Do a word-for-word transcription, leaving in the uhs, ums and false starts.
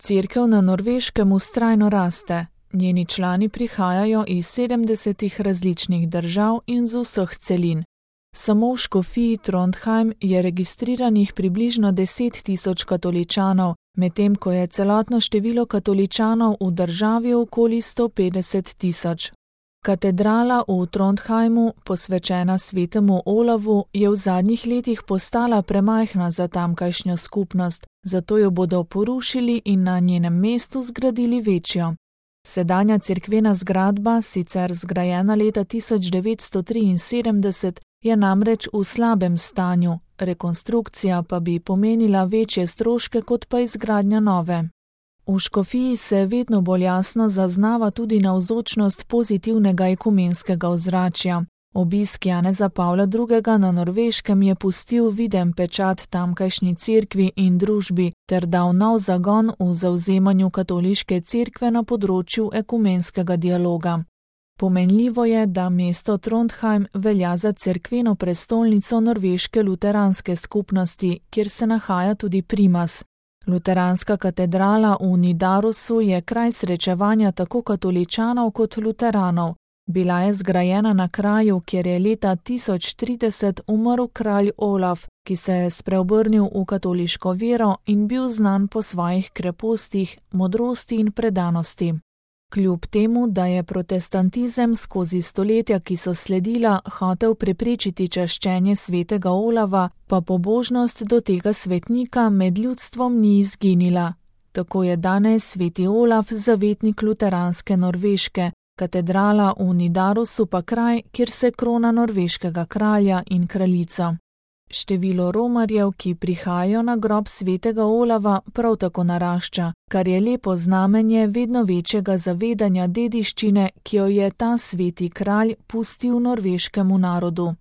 Cerkev na Norveškem vztrajno raste. Njeni člani prihajajo iz sedemdesetih različnih držav in z vseh celin. Samo v škofiji Trondheim je registriranih približno deset tisoč katoličanov, medtem ko je celotno število katoličanov v državi okoli sto petdeset tisoč. Katedrala v Trondheimu, posvečena svetemu Olavu, je v zadnjih letih postala premajhna za tamkajšnjo skupnost, zato jo bodo porušili in na njenem mestu zgradili večjo. Sedanja cerkvena zgradba, sicer zgrajena leta tisoč devetsto triinsedemdeset, je namreč v slabem stanju, rekonstrukcija pa bi pomenila večje stroške kot pa izgradnja nove. V škofiji se vedno bolj jasno zaznava tudi navzočnost pozitivnega ekumenskega ozračja. Obisk Janeza Pavla drugega na Norveškem je pustil viden pečat tamkajšnji cerkvi in družbi ter dal nov zagon v zavzemanju katoliške cerkve na področju ekumenskega dialoga. Pomenljivo je, da mesto Trondheim velja za cerkveno prestolnico norveške luteranske skupnosti, kjer se nahaja tudi primas. Luteranska katedrala v Nidarosu je kraj srečevanja tako katoličanov kot luteranov. Bila je zgrajena na kraju, kjer je leta tisoč trideset umrl kralj Olaf, ki se je spreobrnil v katoliško vero in bil znan po svojih krepostih, modrosti in predanosti. Kljub temu, da je protestantizem skozi stoletja, ki so sledila, hotel preprečiti čaščenje svetega Olava, pa pobožnost do tega svetnika med ljudstvom ni izginila. Tako je danes sveti Olaf zavetnik luteranske Norveške, katedrala v Nidarosu pa kraj, kjer se krona norveškega kralja in kraljico. Število romarjev, ki prihajajo na grob svetega Olava, prav tako narašča, kar je lepo znamenje vedno večjega zavedanja dediščine, ki jo je ta sveti kralj pustil norveškemu narodu.